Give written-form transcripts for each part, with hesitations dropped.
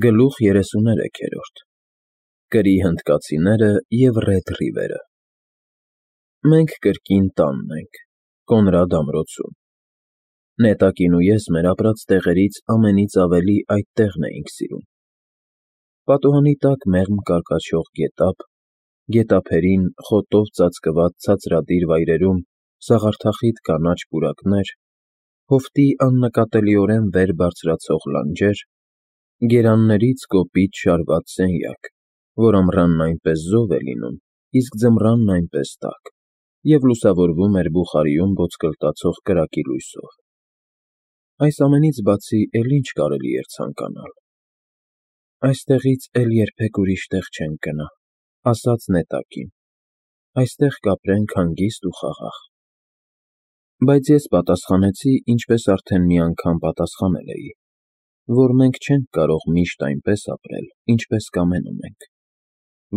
Գլուխ 33 Կրի հնդկացիները և Ռեդ Ռիվերը Մենք կրկին տանն ենք, Կոնրադ ամրոցում։ Նետակին ու ես մեր ապրած տեղերից ամենից ավելի այդ տեղն էինք սիրում։ Պատուհանի տակ մեղմ կարկաչող գետափ, գետափերին խոտով ծածկված ցածրադիր վայրերում սաղարթախիտ կանաչ պուրակներ, հովտի աննկատելիորեն վեր բարձրացող լանջեր, գերաններից կոպիտ շարված սենյակ, որ ամռանն այնպես զով է լինում, իսկ ձմռանն այնպես տաք, և լուսավորվում էր բուխարիում ոսկլտացող կրակի լույսով։ Այս ամենից բացի էլ ինչ կարելի էր ցանկանալ։ «Այստեղից էլ երբեք ուրիշ տեղ չենք գնա», ֊ ասաց նետակին, ֊ «այստեղ կապրենք հանգիստ ու խաղաղ»։ Բայց ես պատասխանեցի, ինչպես արդեն մի անգամ պատասխանել էի, որ մենք չենք կարող միշտ այնպես ապրել, ինչպես կամենում ենք,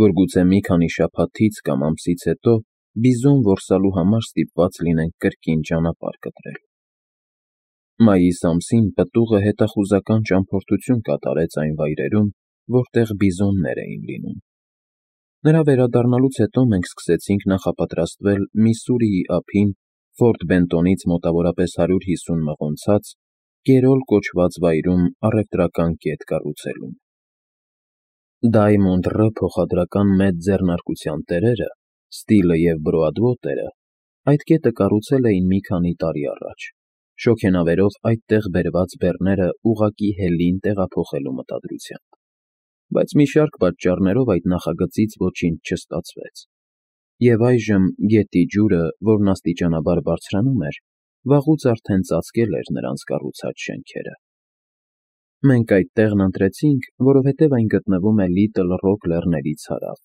որ գուցե մի քանի շաբաթից կամ ամսից հետո բիզոն որսալու համար ստիպված լինենք կրկին ճանապարհ կտրել։ Մայիս ամսին պտուղը հետախուզական ճամփորդություն կատարեց այն վայրերում, որտեղ բիզոններ էին լինում։ Նրա վերադառնալուց հետո մենք սկսեցինք նախապատրաստվել Միսսուրիի ափին Ֆորտ Բենտոնից մոտավորապես 150 մղոնցած Կերոլ կոչված վայրում առևտրական կետ կառուցելուն։ Դայմոնդ Ռ փոխադրական մեծ ձեռնարկության տերերը, Ստիլը և Բրոադվոտերը այդ կետը կառուցել էին մի քանի տարի առաջ, շոգենավերով այդտեղ բերված բեռները ուղղակի հելին տեղափոխելու մտադրությամբ, բայց մի շարք պատճառներով այդ նախագծից ոչինչ չստացվեց, և այժմ գետի ջուրը, որն աստիճանաբար բարձրանում էր, վաղուց արդեն ծածկել էր նրանց կառուցած շենքերը։ Մենք այդ տեղն ընտրեցինք, որովհետև այն գտնվում է Լիտլ Ռոք լեռներից հարավ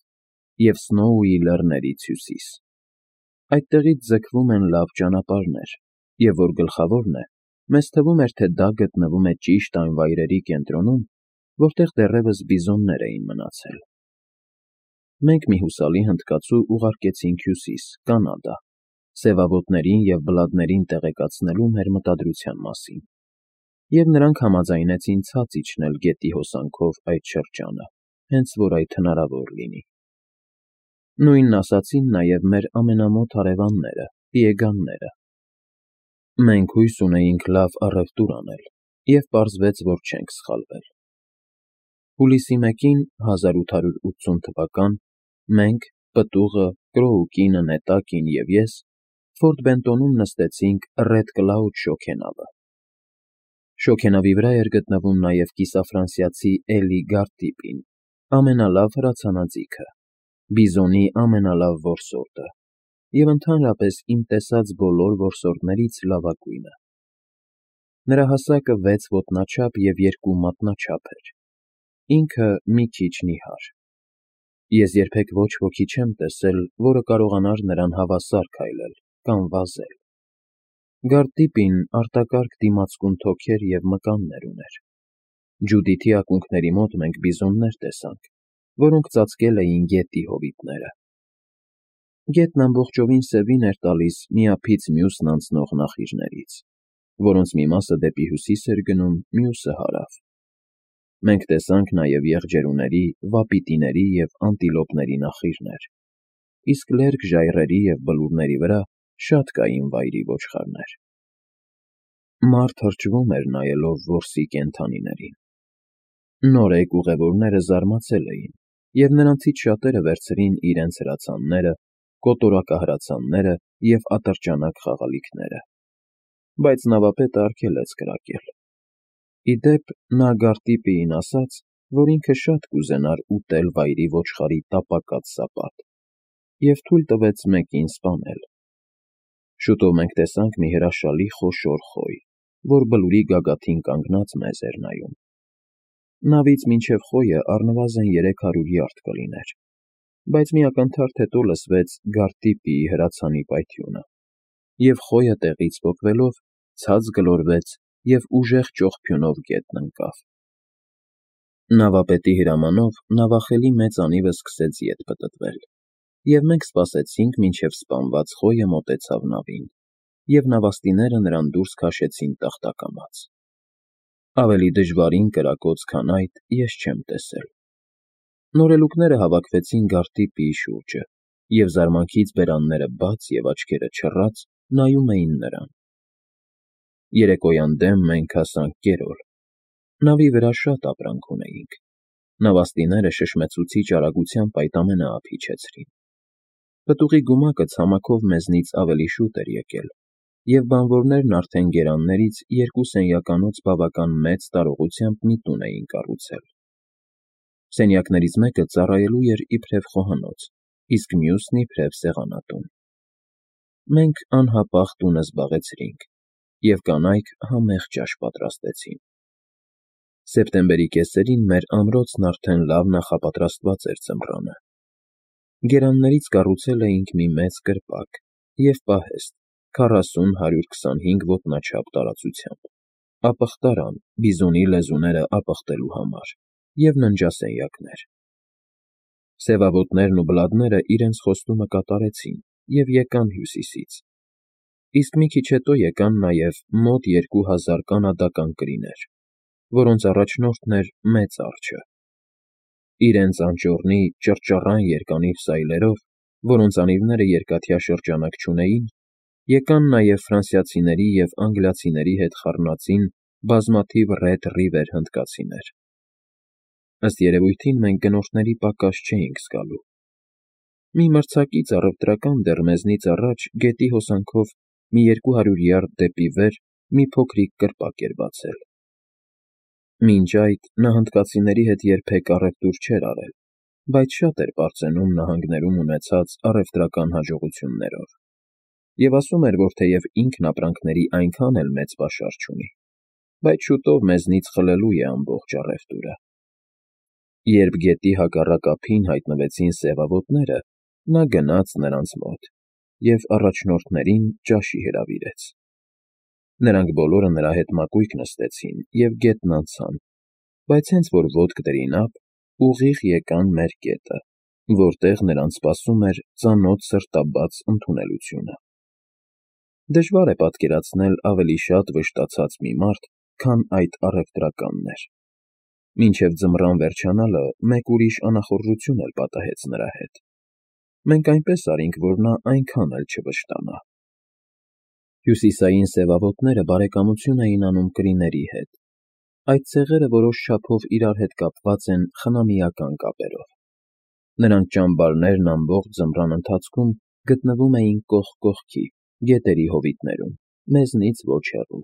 և Սնոուի լեռներից հյուսիս։ Այդտեղից ձգվում են լավ ճանապարհներ, և որ գլխավորն է, մեզ թվում էր, թե դա գտնվում է ճիշտ այն վայրերի կենտրոնում, որտեղ դեռևս բիզոններ էին մնացել։ Մենք մի հուսալի հնդկացու ուղարկեցինք հյուսիս, Կանադա, սևավոտներին և բլադներին տեղեկացնելու մեր մտադրության մասին, և նրանք համաձայնեցին ցած իջնել գետի հոսանքով այդ շրջանը, հենց որ այդ հնարավոր լինի։ Նույնն ասացին նաև մեր ամենամոտ հարևանները՝ Պիեգանները։ Մենք հույս ունեինք լավ առևտուր անել, և պարզվեց, որ չենք սխալվել։ Հուլիսի 1-ին 1880 թվական մենք՝ պտուղը, Կրոուկինը, նետակին և ես Ֆորտ Բենտոնում նստեցինք Ռեդ Կլաուդ շոգենավը։ Շոգենավի վրա էր գտնվում նաև կիսաֆրանսիացի Էլի Գարտիպին, ամենալավ հրացանաձիգը, բիզոնի ամենալավ որսորդը և ընդհանրապես իմ տեսած բոլոր որսորդներից լավագույնը։ Նրա հասակը 6 ոտնաչափ և 2 մատնաչափ էր, ինքը մի քիչ նիհար։ Ես երբեք ոչ ոքի չեմ տեսել, որը կարողանար նրան հավասար քայլել կամ վազել։ Գարտիպին արտակարգ դիմացկուն թոքեր և մկաններ ուներ։ Ջուդիթի ակունքների մոտ մենք բիզոններ տեսանք, որոնք ծածկել էին գետի հովիտները։ Գետն ամբողջովին սևին էր տալիս մի ափից մյուսն անցնող նախիժներից, որոնց մի մասը դեպի հյուսիս էր գնում, մյուսը՝ հարավ։ Մենք տեսանք նաև եղջերուների, վապիտիների և անտիլոպների նախիժներ, իսկ լերկ ժայռերի և բլուրների վրա շատ կային վայրի ոչխարներ։ Մարդ թրջվում էր նայելով որսի կենդանիներին։ Նորեկ ուղևորները զարմացել էին, և նրանցից շատերը վերցրին իրենց հրացանները, կոտորակահրացանները և ատրճանակ խաղալիքները, բայց նավապետը արգելեց կրակել։ Ի դեպ, նա Գարտիպիին ասաց, որ ինքը շատ կուզենար ուտել վայրի ոչխարի տապակած սապատ, և թույլ տվեց մեկին սպանել։ Շուտով մենք տեսանք մի հրաշալի խոշոր խոյ, որ բլուրի գագաթին կանգնած մեզ էր նայում։ Նավից մինչև խոյը առնվազն 300 յարդ կլիներ, բայց մի ակնթարթ հետո լսվեց Գարտիպիի հրացանի պայթյունը, և խոյը տեղից պոկվելով ցած գլորվեց և ուժեղ ճողփյունով գետն ընկավ։ Նավապետի հրամանով նավախելի մեծ անիվը սկսեց ետ պտտվել, և մենք սպասեցինք, մինչև սպանված խոյը մոտեցավ նավին, և նավաստիները նրան դուրս քաշեցին տախտակամաց։ Ավելի դժվարին կրակոց, քան այդ, ես չեմ տեսել։ Նորելուկները հավաքվեցին գարտի շուրջը, և զարմանքից բերանները բաց և աչքերը չռած նայում էին նրան։ Երեկոյան դեմ մենք հասանք Կերոլ։ Նավի վրա շատ ապրանք ունեինք։ Նավաստիները շշմեցուցիչ արագությամբ այդ ամենը ափ իջեցրին։ Պտուղի գումակը ցամաքով մեզնից ավելի շուտ էր եկել, և բանվորներն արդեն գերաններից 2 սենյականոց բավական մեծ տարողությամբ մի տուն էին կառուցել։ Սենյակներից մեկը ծառայելու էր իբրև խոհանոց, իսկ մյուսն իբրև սեղանատուն։ Մենք անհապաղ տունը զբաղեցրինք, և կանայք համեղ ճաշ պատրաստեցին։ Սեպտեմբերի կեսերին մեր ամրոցն արդեն լավ նախապատրաստված էր ձմռանը։ Գերաններից կառուցել էինք մի մեծ կրպակ և պահեստ 40-125 ոտնաչափ տարածությամբ, ապխտարան բիզոնի լեզուները ապխտելու համար և ննջասենյակներ։ Սևավոտներն ու բլադները իրենց խոստումը կատարեցին և եկան Հյուսիսից, իսկ մի քիչ հետո եկան նաև մոտ 2000 կանադական կրիներ, որոնց առաջնորդն էր Մեծ Արջը։ Իրենց անճոռնի, ճռճռան երկանիվ սայլերով, որոնց անիվները երկաթյա շրջանակ չունեին, եկան նաև ֆրանսիացիների և անգլիացիների հետ խառնածին բազմաթիվ Ռեդ Ռիվեր հնդկացիներ։ Ըստ երևույթին մենք գնորդների պակաս չէինք զգալու։ Մի մրցակից առևտրական դեռ մեզնից առաջ գետի հոսանքով մի 200 յարդ դեպի վեր մի փոքրիկ կրպակ էր բացել։ Մինչ այդ նա հնդկացիների հետ երբեք առևտուր չէր արել, բայց շատ էր պարծենում նահանգներում ունեցած առևտրական հաջողություններով, և ասում էր, որ թեև ինքն ապրանքների այնքան էլ մեծ պաշար չունի, բայց շուտով մեզնից խլելու է ամբողջ առևտուրը։ Երբ գետի հակառակ ափին հայտնվեցին սևավոտները, նա գնաց նրանց մոտ և առաջնորդներին ճաշի հրավիրեց։ Նրանք բոլորը նրա հետ մակույկ նստեցին և գետն անցան, բայց հենց որ ոտք դրին ափ, ուղիղ եկան մեր կետը, որտեղ նրանց սպասում էր ծանոթ սրտաբաց ընդունելությունը։ Դժվար է պատկերացնել ավելի շատ վշտացած մի մարդ, քան այդ առևտրականն էր։ Մինչև ձմռան վերջանալը մեկ ուրիշ անախորժություն էլ պատահեց նրա հետ։ Մենք այնպես արինք, որ նա այնքան էլ չվշտանա։ Հյուսիսային սևավոտները բարեկամություն էին անում կրիների հետ։ Այդ ցեղերը որոշ չափով իրար հետ կապված են խնամիական կապերով։ Նրանց ճամբարներն ամբողջ ձմռան ընթացքում գտնվում էին կողք կողքի, գետերի հովիտներում, մեզնից ոչ հեռու։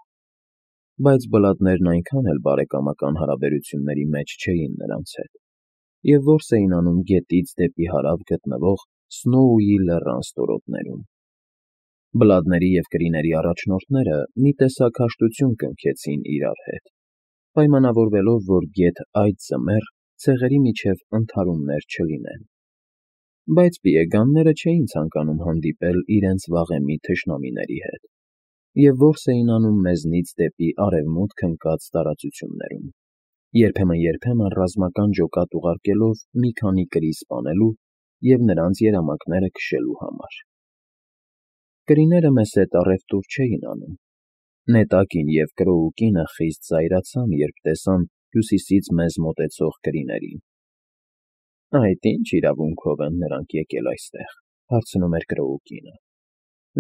Բայց բլադներն այնքան էլ բարեկամական հարաբերությունների մեջ չէին նրանց հետ, և որս էին անում գետից դեպի հարավ գտնվող Սնոուի լեռան ստորոտներում։ Բլադների և կրիների առաջնորդները մի տեսակ հաշտություն կնքեցին իրար հետ, պայմանավորվելով, որ գեթ այդ ձմեռ ցեղերի միջև ընդհարումներ չլինեն։ Բայց պիեգանները չէին ցանկանում հանդիպել իրենց վաղեմի թշնամիների հետ, և որս էին անում մեզնից դեպի արևմուտք ընկած տարածություններում, երբեմն ռազմական ջոկատ ուղարկելով մի քանի կրի սպանելու և նրանց երամակները քշելու համար։ Կրիները մեզ հետ առևտուր չէին անում։ Նետակին և Կրոուկինը խիստ զայրացան, երբ տեսան հյուսիսից մեզ մոտեցող կրիներին։ «Այդ ի՞նչ իրավունքով են նրանք եկել այստեղ», հարցնում էր Կրոուկինը։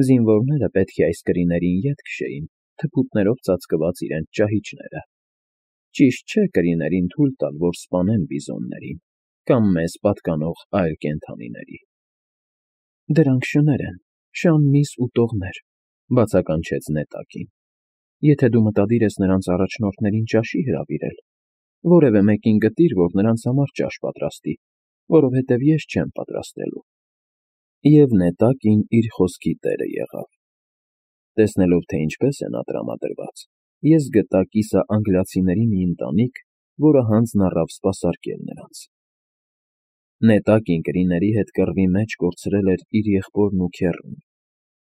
«Զինվորները պետք է այս կրիներին ետ քշեին, թփուտներով ծածկված իրենց ճահիճները։ Ճիշտ չէ կրիներին թույլ տալ, որ սպանեն բիզոններին կամ մեզ պատկանող այլ կենդանիների»։ «Դրանք շներ են, շան միս ուտողներ», բացականչեց Նետակին։ «Եթե դու մտադիր ես նրանց առաջնորդներին ճաշի հրավիրել, որևէ մեկին գտիր, որ նրանց համար ճաշ պատրաստի, որովհետև ես չեմ պատրաստելու»։ Եվ Նետակին իր խոսքի տերը եղավ։ Տեսնելով, թե ինչպես է նա տրամադրված, ես գտա կիսաանգլիացիների մի ընտանիք, որը հանձն առավ սպասարկել նրանց։ Նետակին կրիների հետ կռվի մեջ կորցրել էր իր եղբորն ու քեռուն,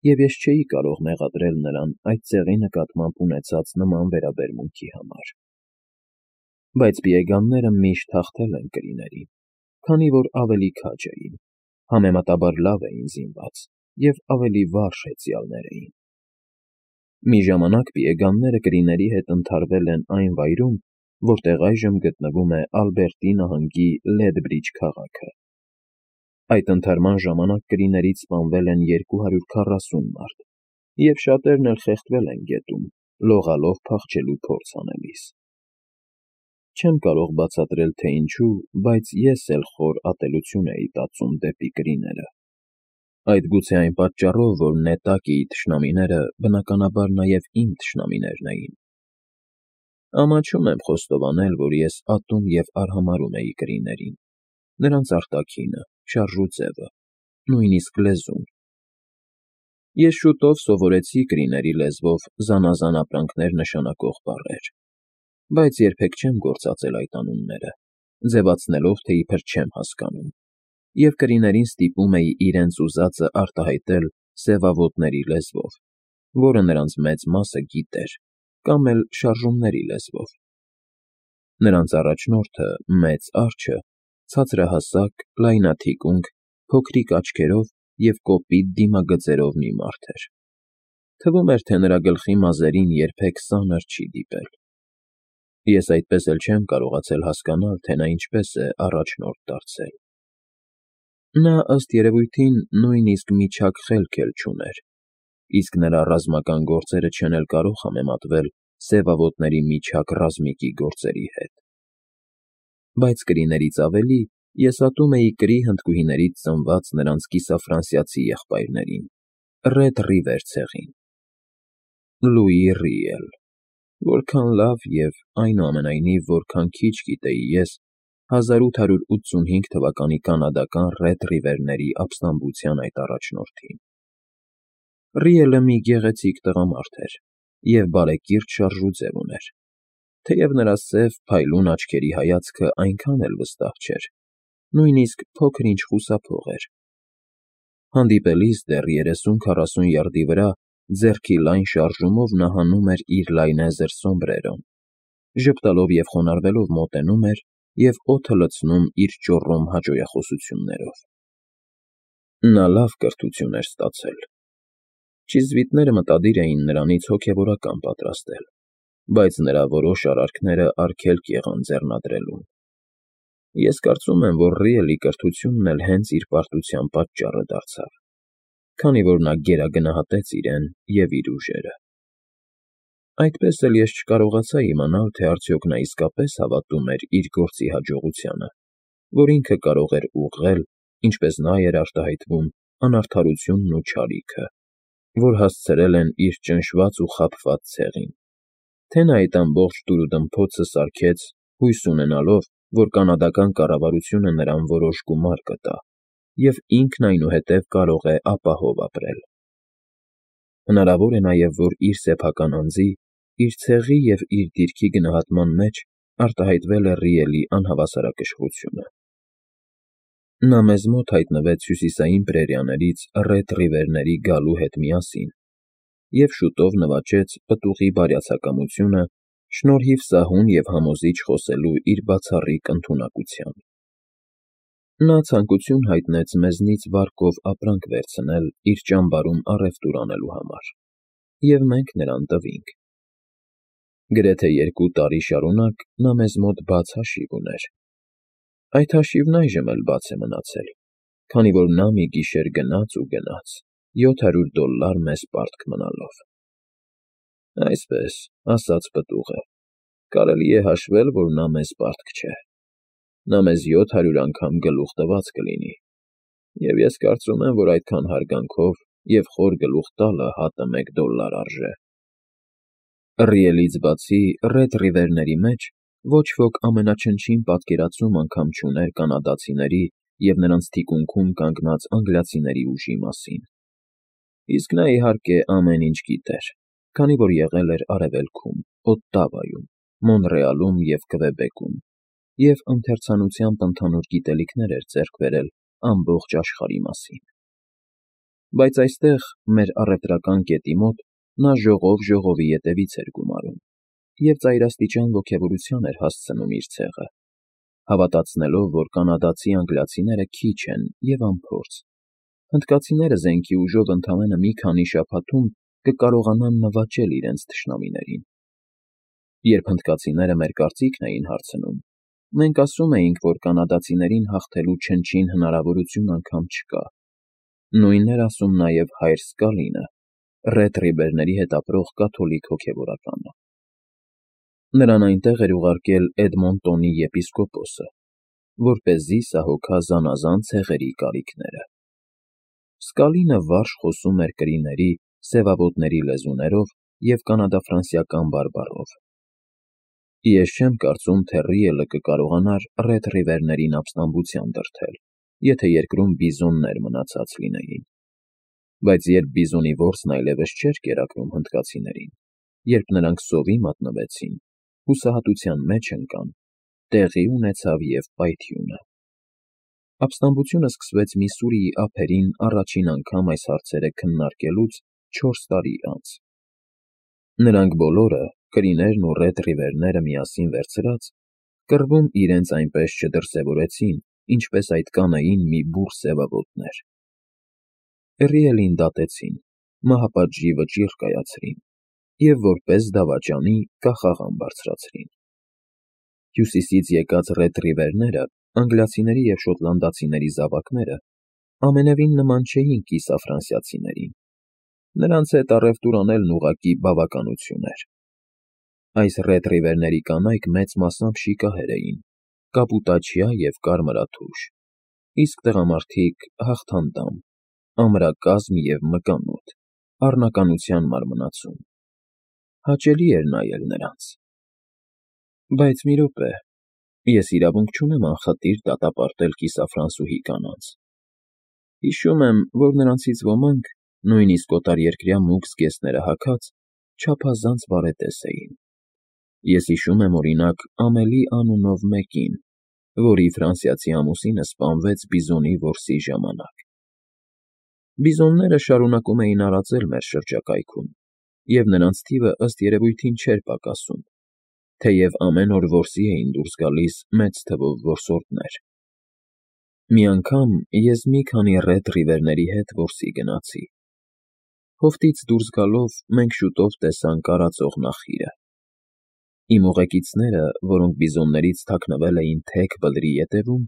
և ես չէի կարող մեղադրել նրան այդ ցեղի նկատմամբ ունեցած նման վերաբերմունքի համար։ Բայց պիեգանները միշտ հաղթել են կրիներին, քանի որ ավելի քաջ էին, համեմատաբար լավ էին զինված և ավելի վարժ հեծյալներ էին։ Մի ժամանակ պիեգանները կրիների հետ ընդհարվել են այն վայրում, որտեղ այժմ գտնվում է Ալբերտի նահանգի Լեդբրիջ քաղաքը։ Այդ ընթարման ժամանակ կրիներից սպանվել են 240 մարդ, և շատերն էլ խեղդվել են գետում, լողալով փախչելու փորձ անելիս։ Չեմ կարող բացատրել, թե ինչու, բայց ես էլ խոր ատելություն էի տածում դեպի կրիները։ Այդ գուցե այն պատճառով, որ Նետակիի թշնամիները բնականաբար նաև իմ թշնամիներն էին։ Ամաչում եմ խոստովանել, որ ես ատում և արհամարհում էի կրիներին, նրանց արտաքինը, շարժուձևը, նույնիսկ լեզուն։ Ես շուտով սովորեցի կրիների լեզվով զանազան ապրանքներ նշանակող բառեր, բայց երբեք չեմ գործածել այդ անունները, ձևացնելով, թե իբր չեմ հասկանում, և կրիներին ստիպում էի իրենց ուզածը արտահայտել սևավոտների լեզվով, որը նրանց մեծ մասը գիտեր, կամ էլ շարժումների լեզվով։ Նրանց առաջնորդը, մեծ արջը, ցածրահասակ, լայնաթիկունք, փոքրիկ աչքերով և կոպիտ դիմագծերով մի մարդ էր։ Թվում էր, թե նրա գլխի մազերին երբեք սանր չի դիպել։ Ես այդպես էլ չեմ կարողացել հասկանալ, թե նա ինչպես է առաջնորդ դարձել։ Նա, ըստ երևույթին, նույնիսկ միջակ խելք էլ չուներ, իսկ նրա ռազմական գործերը չեն էլ կարող համեմատվել սևավոտների միջակ ռազմիկի գործերի հետ։ Բայց կրիներից ավելի ես ատում էի կրի հնդկուհիներից ծնված նրանց կիսաֆրանսիացի եղբայրներին, Ռեդ Ռիվեր ցեղին։ Լուի Ռիել, որքան լավ և, այնուամենայնիվ, որքան քիչ գիտեի ես 1885 թվականի կանադական Ռեդ Ռիվերների ապստամբության այդ առաջնորդին։ Ռիելը մի գեղեցիկ տղամարդ էր և բարեկիրթ շարժուձև ուներ, թեև նրա սև, փայլուն աչքերի հայացքը այնքան էլ վստահ չէր, նույնիսկ փոքր-ինչ խուսափող էր։ Հանդիպելիս դեռ 30-40 յարդի վրա ձեռքի լայն շարժումով նա հանում էր իր լայնեզր սոմբրերոն, ժպտալով և խոնարհվելով մոտենում էր և օդը լցնում իր ճոռոմ հաճոյախոսություններով։ Նա լավ կրթություն էր ստացել։ Չիզվիտները մտադիր էին նրանից հոգևորական պատրաստել, բայց նրա որոշ արարքները արգելք եղան ձեռնադրելուն։ Ես կարծում եմ, որ Ռիելի կրթությունն էլ հենց իր պարտության պատճառը դարձավ, քանի որ նա գերագնահատեց իրեն և իր ուժերը։ Այդպես էլ ես չկարողացա իմանալ, թե արդյոք նա իսկապես հավատում էր իր գործի հաջողությանը, որ ինքը կարող էր ուղղել, ինչպես նա էր արտահայտվում, անարդարությունն ու չարիքը, որ հասցրել են իր ճնշված ու խաբված ցեղին, թե նա այդ ամբողջ դուրուդմփոցը սարքեց, հույս ունենալով, որ կանադական կառավարությունը նրան որոշ գումար կտա, և ինքն այնուհետև կարող է ապահով ապրել։ Հնարավոր է նաև, որ իր սեփական անձի, իր ցեղի և իր դիրքի գնահատման մեջ արտահայտվել է Ռիելի անհավասարակշռությունը։ Նա մեզ մոտ հայտնվեց հյուսիսային պրերիաներից Ռեդ Ռիվերների գալու հետ միասին և շուտով նվաճեց պտուղի բարյացակամությունը շնորհիվ սահուն և համոզիչ խոսելու իր բացառիկ ընդունակության։ Նա ցանկություն հայտնեց մեզնից վարկով ապրանք վերցնել իր ճամբարում առևտուր անելու համար, և մենք նրան տվինք։ Գրեթե 2 տարի շարունակ նա մեզ մոտ բաց հաշիվ ուներ։ Այդ հաշիվն այժմ էլ բաց է մնացել, քանի որ նա մի գիշեր գնաց ու գնաց $700 մեզ պարտք մնալով։ Այսպես, ասաց պտուղը, կարելի է հաշվել, որ նա մեզ պարտք չէ։ Նա մեզ 700 անգամ գլուխ տված կլինի, և ես կարծում եմ, որ այդքան հարգանքով և խոր գլուխ տալը հատը $1 արժե։ Ռիելից բացի, Ռեդ Ռիվերների մեջ ոչ ոք ամենաչնչին պատկերացում անգամ չուներ կանադացիների և նրանց թիկունքում կանգնած անգլիացիների ուժի մասին։ Իսկ նա, իհարկե, ամեն ինչ գիտեր, քանի որ եղել էր Արևելքում, Օտտավայում, Մոնրեալում և Քվեբեկում, և ընթերցանությամբ ընդհանուր գիտելիքներ էր ձեռք բերել ամբողջ աշխարհի մասին։ Բայց այստեղ, մեր առևտրական կետի մոտ, նա ժողով ետևից էր գումարում և ծայրաստիճան ոգևորության էր հասցնում իր ցեղը, հավատացնելով, որ կանադացի-անգլիացիները քիչ են և անփորձ, հնդկացիները զենքի ուժով ընդամենը մի քանի շաբաթում կկարողանան նվաճել իրենց թշնամիներին։ Երբ հնդկացիները մեր կարծիքն էին հարցնում, մենք ասում էինք, որ կանադացիներին հաղթելու չնչին հնարավորություն անգամ չկա։ Նույնն էր ասում նաև հայր Սկալինը, Ռեդ Ռիվերների հետ ապրող կաթոլիկ հոգևորականը։ Նրան այնտեղ էր ուղարկել Էդմոնտոնի եպիսկոպոսը, որպեսզի սահոգա զանազան ցեղերի կարիքները։ Սկալինը վարժ խոսում էր կրիների, սևավոտների լեզուներով և կանադա-ֆրանսիական բարբառով։ Ես չեմ կարծում, թե Ռիելը կկարողանար Ռեդ Ռիվերներին ապստամբության դրդել, եթե երկրում բիզոններ մնացած լինեին։ Բայց երբ բիզոնի որսն այլևս չէր կերակրում հնդկացիներին, երբ նրանք սովի մատնվեցին, հուսահատության մեջ ընկան, տեղի ունեցավ և պայթյունը։ Ապստամբությունը սկսվեց Միսսուրիի ափերին առաջին անգամ այս հարցերը քննարկելուց 4 տարի անց։ Նրանք բոլորը, կրիներն ու Ռեդ Ռիվերները միասին վերցրած, կռվում իրենց այնպես չդրսևորեցին, ինչպես այդ կանեին մի բուռ սևավոտներ։ Ռիելին դատեցին, մահապատժի վճիռ կայացրին և որպես դավաճանի կախաղան բարձրացրին։ Հյուսիսից եկած Ռեդ Ռիվերները, անգլիացիների և շոտլանդացիների զավակները, ամենևին նման չէին կիսաֆրանսիացիներին։ Նրանց հետ առևտուր անելն ուղղակի բավականություն էր։ Այս Ռեդ Ռիվերների կանայք մեծ մասամբ շիկահեր էին, կապուտաչյա և կարմրաթուշ, իսկ տղամարդիկ հաղթանդամ, ամրակազմ և մկանոտ, առնականության մարմնացում։ Հաճելի էր նայել նրանց։ Բայց մի րոպե, ես իրավունք չունեմ անխտիր դատապարտել կիսաֆրանսուհի կանանց։ Հիշում եմ, որ նրանցից ոմանք, նույնիսկ օտարերկրյա մուգ զգեստները հագած, չափազանց բարետես էին։ Ես հիշում եմ, օրինակ, Ամելի անունով մեկին, որի ֆրանսիացի ամուսինը սպանվեց բիզոնի որսի ժամանակ։ Բիզոնները շարունակում էին արածել մեր շրջակայքում, և նրանց թիվը ըստ երևույթին չէր պակասում, թեև ամեն օր որսի էին դուրս գալիս մեծ թվով որսորդներ։ Մի անգամ ես մի քանի Ռեդ Ռիվերների հետ որսի գնացի։ Հովտից դուրս գալով մենք շուտով տեսանք արածող նախիրը։ Իմ ուղեկիցները, որոնք բիզոններից թաքնվել էին թեք բլրի ետևում,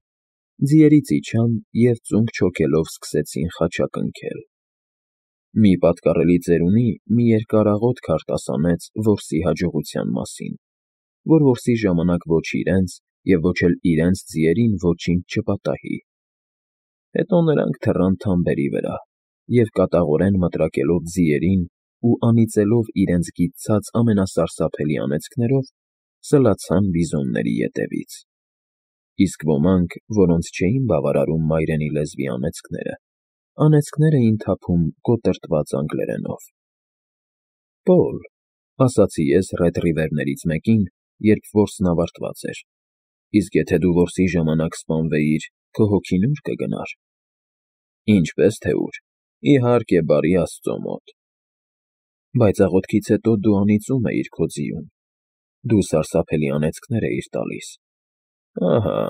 ձիերից իջան և ծունկ չոքելով սկսեցին խաչակնքել։ Մի պատկառելի ծերունի մի երկար աղոթք արտասանեց որսի հաջողության մասին, որ որսի ժամանակ ոչ իրենց և ոչ էլ իրենց ձիերին ոչինչ չպատահի։ Հետո նրանք թռան թամբերի վրա և կատաղորեն մտրակելով ձիերին ու անիծելով իրենց գիտցած ամենասարսափելի անեծքներով, սլացան բիզոնների ետևից։ Իսկ ոմանք, որոնց չէին բավարարում մայրենի լեզվի անեծքներ էին թափում կոտրտված անգլերենով։ «Պոլ», ասացի ես Ռեդ Ռիվերներից մեկին, երբ որսն ավարտված էր, իսկ եթե դու որսի ժամանակ սպանվեիր, քո հոգին ո՞ւր կգնար։ Ինչպես թե ուր, իհարկե, բարի Աստծո մոտ։ Բայց աղոթքից հետո դու անիծում էիր քո ձիուն, դու սարսափելի անեծքներ էիր տալիս։ Ահա,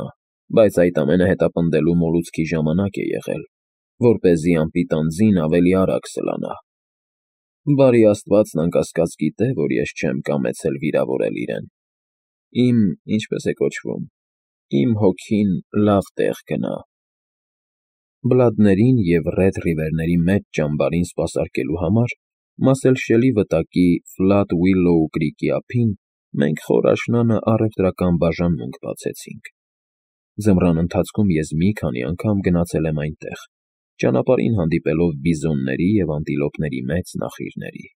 բայց այդ ամենը հետապնդելու մոլուցքի ժամանակ է եղել, որպեսզի անպիտան ձին ավելի արագ սլանա։ Բարի Աստվածն անկասկած գիտե, որ ես չեմ կամեցել վիրավորել իրեն։ Ինչպես է կոչվում, իմ հոգին լավ տեղ գնա։ Բլադներին և Ռեդ Ռիվերների մեծ ճամբարին սպասարկելու համար Մասելշելի վտակի Ֆլատ Ուիլլոու կրիկի ափին մենք խոր աշնանը առևտրական բաժանմունք բացեցինք։ Ձմռան ընթացքում ես մի քանի անգամ գնացել եմ այնտեղ, ճանապարհին հանդիպելով բիզոնների և անտիլոպների մեծ նախիրների։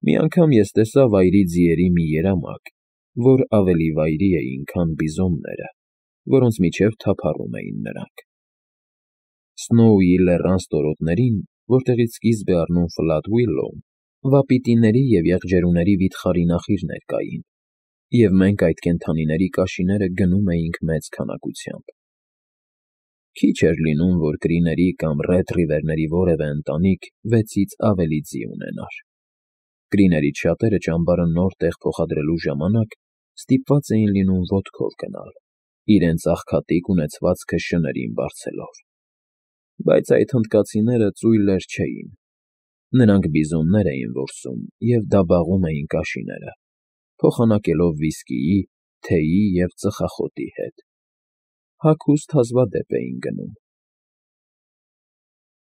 Մի անգամ ես տեսա վայրի ձիերի մի երամակ, որ ավելի վայրի էին, քան բիզոնները, որոնց միջև թափառում էին նրանք։ Սնոուի լեռան ստորոտներին, որտեղից սկիզբ է առնում Ֆլատ Ուիլլոուն, վապիտիների և եղջերուների վիթխարի նախիրներ կային, և մենք այդ կենդանիների կաշիները գնում էինք մեծ քանակությամբ։ Քիչ էր լինում, որ կրիների կամ Ռեդ Ռիվերների որևէ ընտանիք 6-ից ավելի ձի ունենար։ Կրիներից շատերը ճամբարը նոր տեղ փոխադրելու ժամանակ ստիպված էին լինում ոտքով գնալ, իրենց աղքատիկ ունեցվածքը շներին բարձելով։ Բայց այդ հնդկացիները ծույլեր չէին։ Նրանք բիզոններ էին որսում և դաբաղում էին կաշիները, փոխանակելով վիսկիի, թեյի և ծխախոտի հետ։ Հագուստ հազվադեպ էին գնում։